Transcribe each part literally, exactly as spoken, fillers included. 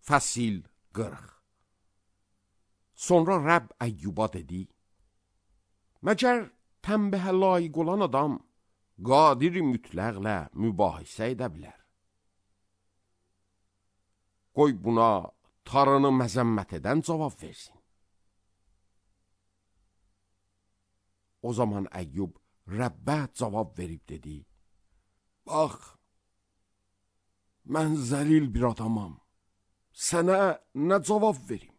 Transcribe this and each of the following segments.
Fəsil qırx. Sonra Rəbb Əyyuba dedi: Məgər tənbəhə layiq olan adam qadir mütləqlə mübahisə edə bilər? Qoy buna tarını məzəmmət edən cavab versin. O zaman Əyyub Rəbbə cavab verib dedi: Bax, mən zəlil bir adamam, sənə nə cavab verim?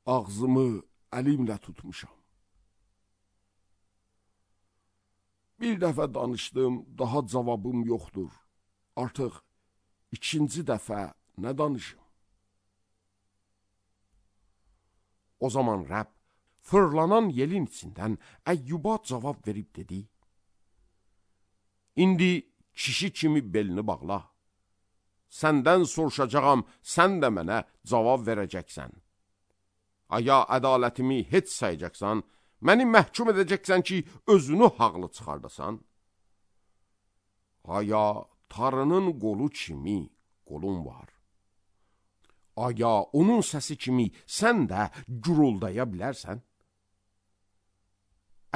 Ağzımı əlimlə tutmuşam. Bir dəfə danışdım, daha cavabım yoxdur. Artıq ikinci dəfə nə danışım? O zaman Rəbb fırlanan yelin içindən Əyyuba cavab verib dedi: İndi kişi kimi belini bağla. Səndən soruşacağam, sən də mənə cavab verəcəksən. Aya ədalətimi heç sayacaqsan, məni məhkum edəcəksən ki, özünü haqlı çıxardasan. Aya tarının qolu kimi qolun var. Aya onun səsi kimi sən də guruldaya bilərsən.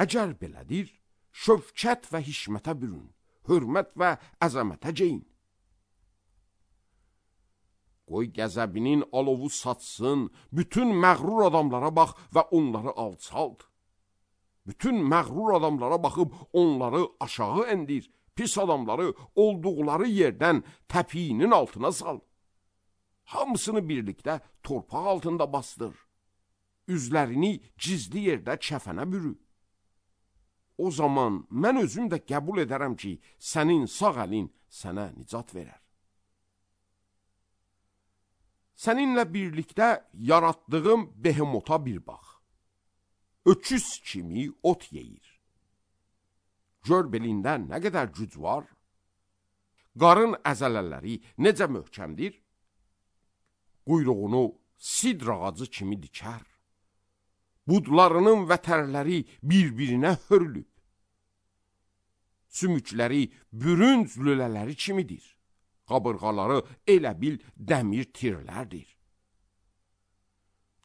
Əgər belədir, şövkət və hişmətə bürün, hörmət və əzəmətə geyin. Qoy qəzəbinin alovu satsın, bütün məğrur adamlara bax və onları alçalt. Bütün məğrur adamlara baxıb onları aşağı endir, pis adamları olduqları yerdən təpiyinin altına sal. Hamısını birlikdə torpaq altında basdır. Üzlərini gizli yerdə kəfənə bürü. O zaman mən özüm də qəbul edərəm ki, sənin sağ əlin sənə nicat verər. Səninlə birlikdə yaratdığım behemota bir bax. Öküz kimi ot yeyir. Gör belində nə qədər güc var. Qarın əzələləri necə möhkəmdir. Quyruğunu sidr ağacı kimi dikər. Budlarının vətərləri bir-birinə hörülüb. Sümükləri bürünc lülələri kimidir. Qabırğaları elə bil dəmir tirlərdir.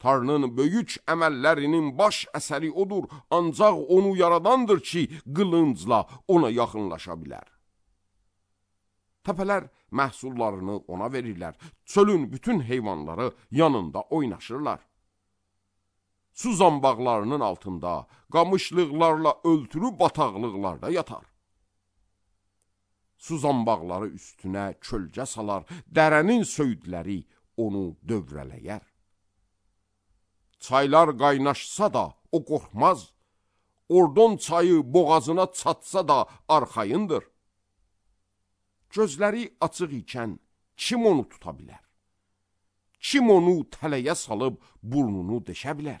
Tanrının böyük əməllərinin baş əsəri odur, ancaq onu yaradandır ki, qılıncla ona yaxınlaşa bilər. Təpələr məhsullarını ona verirlər, çölün bütün heyvanları yanında oynaşırlar. Su zambaqlarının altında, qamışlıqlarla öltülü bataqlıqlarda yatar. Su zambaqları üstünə kölgə salar, dərənin söyüdləri onu dövrələyər. Çaylar qaynaşsa da o qorxmaz, Ordon çayı boğazına çatsa da arxayındır. Gözləri açıq ikən kim onu tuta bilər? Kim onu tələyə salıb burnunu deşə bilər?